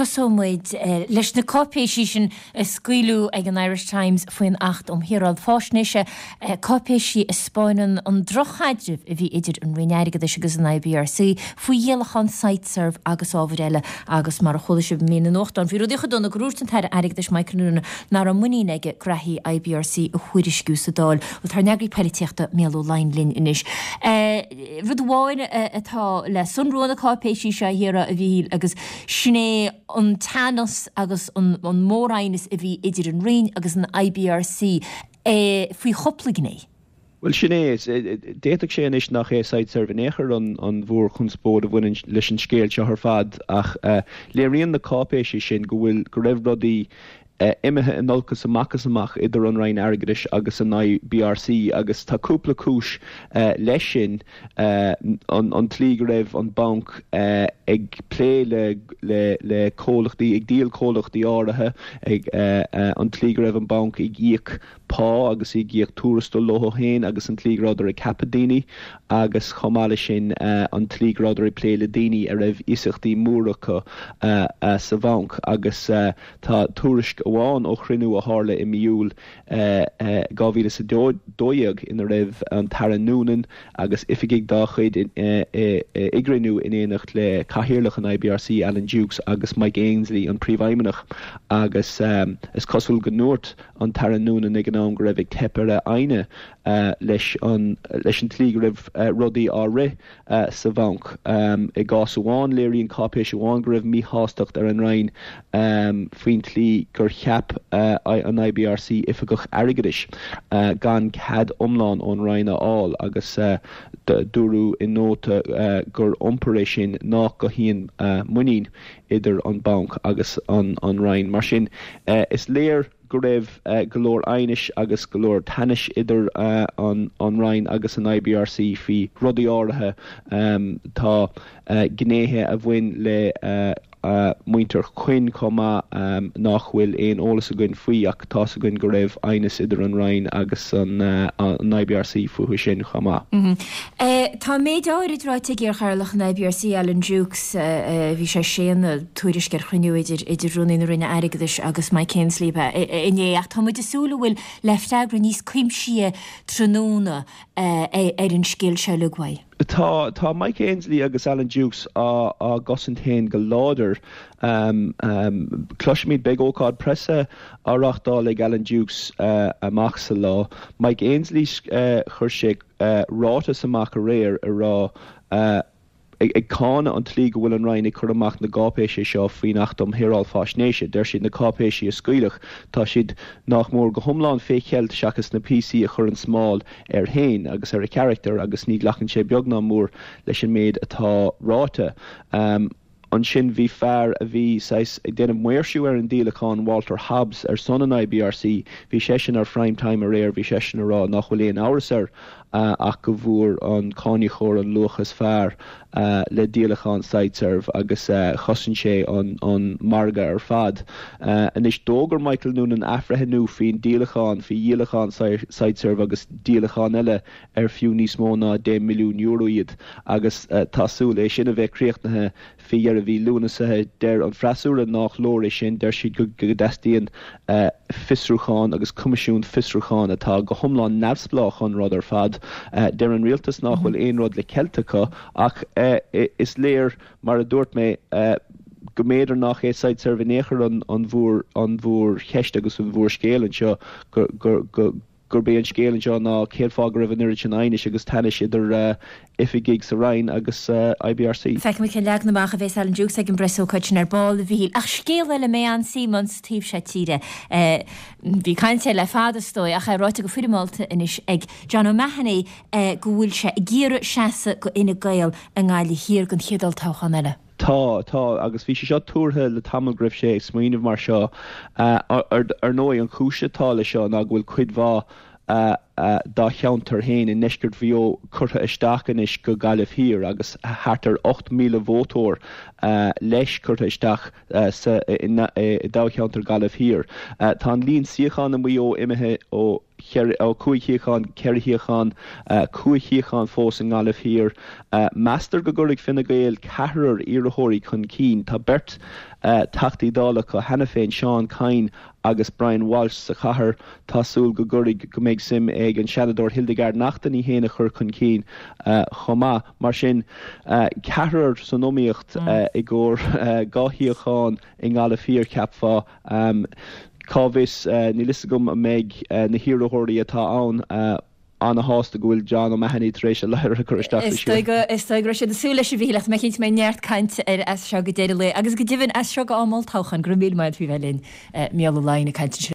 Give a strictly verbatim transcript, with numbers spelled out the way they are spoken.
Tosóidh muid leis na cáipéisí sin a scaoileadh ag an Irish Times faoin Acht um Shaoráil Faisnéise, cáipéisí a 'spáineann an drochchaidreamh a bhí idir an Roinn Airgeadais agus an I B R C faoi dhíolachán Siteserv agus ábhair eile. Agus mar a chuala sibh i mír na nuachtán, bhí rudaí chomh dona gur dhúirt an tAire Airgeadais Michael Noonan nach raibh muinín aige graithí I B R C a thuairisciú sa Dáil. Bhuel, tá ár n-eagraí poilitíochta Mícheál Ó Laighin linn anois. Rud amháin atá le sonrú na cáipéisí seo a Chiara, a Mhíchíl, agus sin é an teannas agus an mór-aighneas a bhí idir an Roinn agus an I B R C faoi chúpla gné. Well, sin é. D'fhéadfadh sé anois nach é Siteserv in aon chor an an mhórchonspóid a bhaineann leis an scéal seo ar fad, ach léiríonn na cáipéisí sin go bhfuil go raibh rudaí imithe in olcas amach is amach idir an Roinn Airgeadais agus an I B R C, agus tá cúpla cúis leis sin: an an tslí go raibh an banc ag plé le le le comhlachtaí, ag díol comhlachtaí áirithe, ag an tslí go raibh an banc ag íoc pá agus ag íoc tuarastal leo féin, agus an tslí go rabhadar ag ceapadh daoine, agus chomh maith leis sin an tslí go rabhadar ag plé le daoine a raibh iasachtaí móra acu sa bhanc. Agus tá tuairisc amháin ó chruinniú a tharla i mí Iúil dhá mhíle is a dó dhéag ina raibh an tAire Noonan agus oifigigh dá chuid i gcruinniú in éineacht le cathaoirleach an I B R C, Alan Dukes, agus Mike Ainsley, an príomhfheidhmeannach, agus is cosúil go ndúirt an tAire Noonan ag an am go raibh ag teip ar a fhoighne leis an leis an tslí go raibh rudaí á rith sa bhanc. I gcás amháin, léiríonn cáipéis amháin go raibh míshástacht ar an Roinn faoin tslí gur cheap an I B R C oifigeach airgeadais gan cead iomlán ón Roinn a fháil, agus dúradh i nóta gur iompar é sin nach gcothaíonn muinín idir an banc agus an an Roinn. Mar sin, is léir go raibh go leor aighnis agus go leor teannais idir an an Roinn agus an I B R C faoi rudaí áirithe. Tá gnéithe a bhain le muintir Quinn chomh maith nach bhfuil aon eolas againn faoi, ach tá againn go raibh aighneas idir an Roinn agus an an I B R C fúthu sin chomh maith. Tá méid áirid ráite ag iarchathaoirleach an I B R C, Alan Dukes. Bhí sé séanadh tuairisc ar chruinniú idir idir Rúnaí na Roinne Airgeadais agus Mike Ainsley inné, ach tá muid ag súil a bhfuil le freagra níos cuimsithí tráthnóna ar an scéal seo le uaidh. Tá tá Mike Ainsley agus Alan Dukes á á gcosaint féin go láidir. um, um, Cloisfimid, beidh ócáid preasa á reáchtáil ag Alan Dukes uh, amach sa lá. Mike Ainsley, uh, chuir sé uh, ráiteas amach aréir a rá uh, ag, ag cáineadh an tslí go bhfuil an Roinn ag cur amach na gcáipéisí seo faoin Acht um Shaoráil Faisnéise. Deir siad na cáipéisí a scaoileadh, tá siad nach mór go hiomlán fé cheilt seachas na píosaí a chuireann smál air féin agus ar a charachtar, agus ní ghlacann sé beag ná mór leis an méid atá ráite. Um, Ansin bhí fear a bhí ag déanamh maoirsiú ar an díolachán, Walter Hobbs, ar son an I B R C, bhí seisean ar Prime Time aréir. Bhí seisean ag rá nach bhfuil aon amhras air uh, ach go bhfuair an cáiníocóir an luach is fearr uh, le díolachán Siteserv, agus uh, chosain sé an, an margadh ar fad. Uh, Anois d'fhógair Michael Noonan athbhreithniú faoin díolachán, faoi dhíolachán Siteserv agus díolachán eile ar fiú níos mó ná deich milliún euro iad, agus uh, tá súil é sin a bheith críochnaithe faoi dheireadh mhí Lúnasa. Deir an freasúra nach leor é sin. Deir siad go go dteastaíonn uh, fiosrúchán agus coimisiún fiosrúchán atá go hiomlán neamhspleách an rud ar fad. Uh, deir an rialtas nach bhfuil aon rud le ceilt acu, ach uh, is léir, mar a dúirt mé, uh, go mb'fhéidir nach é Siteserv in aon chor an an mhór an mhórcheist agus an mhórscéal anseo, go go go gurb é an scéal anseo ná cén fáth go raibh an oiread sin aighnis agus teannais idir uh, oifigigh sa Roinn agus uh, I B R C. Feicfimid cén leagan amach a bheas Alan Dukes ag an bpreasócáid sin ar ball, a Mhíchíl. Ach scéal eile mé an Simon taobh seo tíre. Uh, bhí caint le fada stoi ach é ráite go foirmeálta anois ag John O'Mahony uh, go bhfuil sé ag iarraidh seasamh do Fhine Gael i nGaillimh Thiar don chéad olltoghchán eile. Tá tá agus bhí sé seo tuartha le tamall go raibh sé ag smaoineamh mar seo. Ar ar ndóigh, an chúis atá le seo ná go bhfuil cuid mhaith uh, uh, dá cheantar féin i ndeisceart Mhaigh Eo curtha isteach anois go Gaillimh Thiar, agus thart ar ocht míle vótóir uh, leis curtha isteach uh, sa i, i, i dtoghcheantar Gaillimh Thiar. Uh, tá an líon suíochán i Maigh Eo imithe ó ó cúig shuíochán go ceithre shuíochán, cúig shuíochán fós i nGaillimh Thiar. Meastar go gcuirfidh Fine Gael ceathrar iarrthóirí chun cinn. Tá beirt Teachtaí Dála acu cheana féin, Seán Kyne agus Brian Walsh sa chathair. Tá súil go gcuirfidh, go mbeidh suim ag an Seanadóir Hildegarde Naughton í féin a chur chun cinn chomh maith. Mar sin, ceathrar san iomaíocht i gcomhair dhá shuíochán i nGaillimh Thiar, cheapfá. Cá bhfios, níl fhios agam an mbeidh na hiarrthóirí atá ann ana-shásta go bhfuil John O'Mahony tar éis a ladhar a chur isteach sa slua. Is dóigh go raibh siad ag súil leis, a Mhíchíl, ach tá mé cinnte go mbeidh neart cainte air as seo go deireadh lae agus go deimhin as seo go am olltoghcháin. Go raibh míle maith agat faoi bheith linn, Mícheál Ó Laighin ag caint anseo.